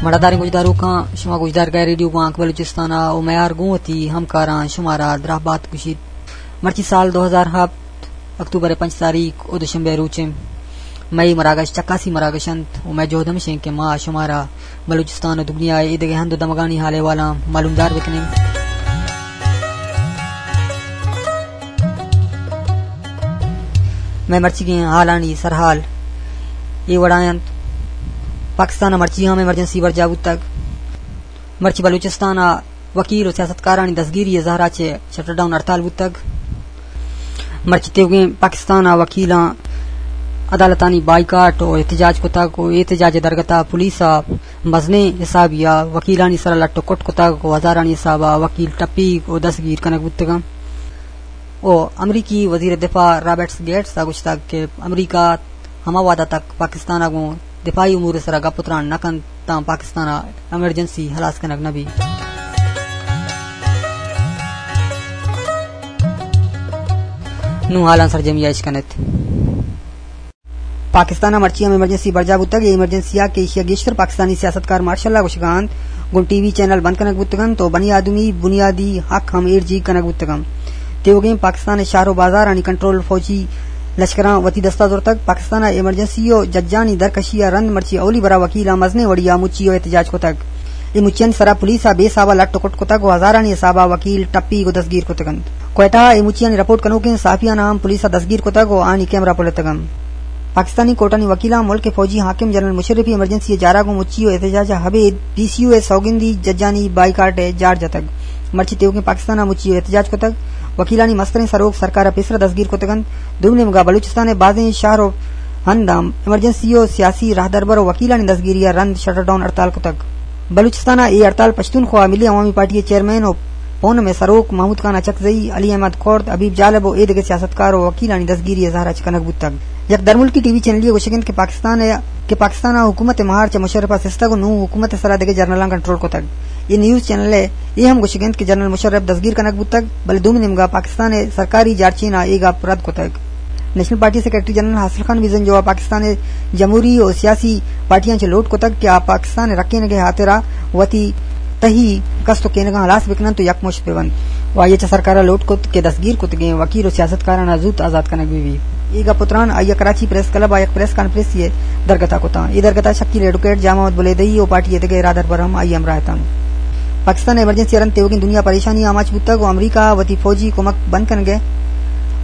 مڑاداریں گوشداروکاں، شما گوشدارگا ریڈیو بانک بلوچستان ءَ و میار گوں وتی ہمکاراں شمارا دراہ بات گوشیت۔ مرچی سال دو ہزار ہپت، اکتوبر ءِ پنچ تاریخ و دوشنبے روچیں۔ مئے مراگش چکاسی مراگش انت و مئے جہد ہمش انت کہ ما شمارا بلوچستان و دگنیا ءِ ایدگہ ہند و دمگانی حال احوالاں معلومدار بکنیں۔ مئے مرچیگیں حالانی سرحال اے وڑا انت: پاکستان ءَ مرچی ہم ایمرجنسی برجاہ بوتگ۔ مرچی بلوچستان ءَ وکیل و سیاستکارانی دزگیری ءِ زہرا چہ شٹر ڈاؤن ہڑتال بوتگ۔ مرچی تیوگیں پاکستان ءَ وکیلاں عدالتانی بائیکاٹ و احتجاج کتگ و احتجاج ءِ درگت ءَ پولیس ءَ مزنیں حسابی ءَ وکیلانی سرا لٹ و کٹ کتگ و ہزارانی حساب ءَ وکیل ٹپیگ و دستگیر کنگ بوتگ انت۔ و امریکی وزیر دفاع رابرٹس گیٹس ءَ گوشتگ کہ امریکہ ہما وہد ءَ تک پاکستان ءَ گوں دفاعی امور ءِ سرا گپ و تران نہ کنت تاں پاکستان ءَ ایمرجنسی ہلاس کنگ نہ بیت۔ نوں حالاں سرجمی ءَ اش کنت۔ پاکستان ءَ مرچی ہم ایمرجنسی برجاہ بوتگ۔ اے ایمرجنسی ءَ کہ ایشی ءَ گیشتر پاکستانی سیاستکار مارشل ءَ گوشگ ءَ انت، گوں ٹی وی چینل بند کنگ بوتگ انت و بنی آدمی بنیادی حق ہم ایرجیگ کنگ بوتگ انت۔ تیوگیں پاکستان ءِ شہر و بازارانی کنٹرول فوجی لشکراں وتی دست ءَ زرتگ۔ پاکستان ءَ ایمرجنسی و ججانی درکشی ءَ رند مرچی اولی برا وکیلاں مزنیں وڑی ءَ مچی و احتجاج کتگ۔ اے مچیانی سرا پولیس ءَ بے حساب ءَ لٹ و کٹ کتگ و ہزارانی حساب ءَ وکیل ٹپیگ و دزگیر کتگ انت۔ کوئٹہ ءَ اے مچیانی رپورٹ کنوکیں صحافیاناں ہم پولیس ءَ دزگیر کتگ و آنی کیمرہ پلتگ انت۔ پاکستانی کورٹانی وکیلاں ملک ءِ فوجی حاکم جنرل مشرف ءِ ایمرجنسی ءِ جار ءَ گوں مچی و احتجاج ءَ ہبید پی سی یو ءِ سوگندی ججانی بائیکاٹ ءِ جار جتگ۔ مرچی تیوگیں پاکستان ءَ مچی و احتجاج کتگ۔ وکیلانی مستریں سروک سرکار ءَ پیسرا دزگیر کتگ انت۔ دومی نیمگا بلوچستان ءِ بازیں شہر و ہند ہم ایمرجنسی و سیاسی راہدربر و وکیلانی دزگیری ءَ رند شٹر ڈاؤن ہڑتال کتگ۔ بلوچستان ءَ اے ہڑتال پشتونخوا ملی عوامی پارٹی ءِ چیئرمین و پونم ءِ سروک محمود خان اچکزئی، علی احمد کرد، حبیب جالب و اے دگہ سیاستکار و وکیلانی دزگیری ءِ زہر ءَ چہ کنگ بوتگ۔ یک درملکی ٹی وی چینلے ءِ گوشگ انت کہ پاکستان ءَ، کہ پاکستان ءَ حکومت ءِ مہار چہ مشرف ءَ سستگ و نوں حکومت ءِ سرا دگہ جنرلاں کنٹرول کتگ۔ اے نیوز چینل ءِ اے ہم گوشگ انت کہ جنرل مشرف دزگیر کنگ بوتگ، بلے دومی نیمگا پاکستان ءِ سرکاری جارچین ءَ اے گپ رد کتگ۔ نیشنل پارٹی ءِ سیکرٹری جنرل حاصل خان بزنجو ءَ پاکستان ءِ جمہوری و سیاسی پارٹیاں چہ لوٹ کتگ کہ آ پاکستان ءِ رکینگ ءِ ہاترا وتی تہی کست و کینگاں ہلاس بکننت و یکمشت بہ بنت و آئی ءَ چہ سرکار ءَ لوٹ کت کہ دستگیر کتگیں وکیل و سیاستکاراناں زوت آزات کنگ بہ بیت۔ اے گپ و تران آئی ءَ کراچی پریس کلب ءَ یک پریس کانفرنسے ءِ درگت ءَ کتاں۔ اے درگت ءَ شکیل ایڈوکیٹ، جام احمد بلیدئی و پارٹی ءِ دگہ راہدربر ہم آئی ءِ ہمراہ اتنت۔ پاکستان ءِ ایمرجنسی ءَ رند تیوگیں دنیا پریشانی ءَ آماچ بوتگ و امریکہ ءَ وتی فوجی کمک بند کنگ ءِ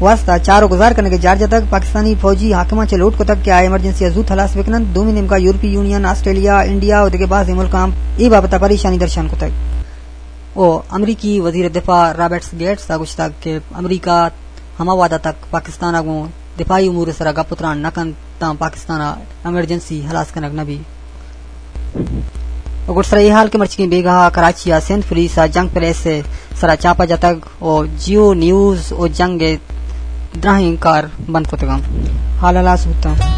واستہ چار و گزار کنگ ءِ جار جتگ۔ پاکستانی فوجی حاکماں چہ لوٹ کتگ کہ آ ایمرجنسی ءَ زوت ہلاس بکننت۔ دومی نیمگا یورپی یونین، آسٹریلیا، انڈیا و دگہ بازیں ملکاں ہم اے بابت ءَ پریشانی درشان کتگ۔ و امریکی وزیر دفاع رابرٹس گیٹس ءَ گوشتگ کہ امریکہ ہما وہد ءَ تک پاکستان ءَ گوں دفاعی امور ءِ سرا گپ و تران نہ کنت تاں پاکستان ءَ ایمرجنسی ہلاس کنگ نہ بیت۔ و گڈسرا اے حال کہ مرچیگیں بیگاہ ءَ کراچی ءَ سندھ پولیس ءَ جنگ پریس ءِ سرا چاپہ جتگ و جیو نیوز و جنگ ءِ دراہیں کار بند کتگ انت۔ حال ہلاس بوتاں۔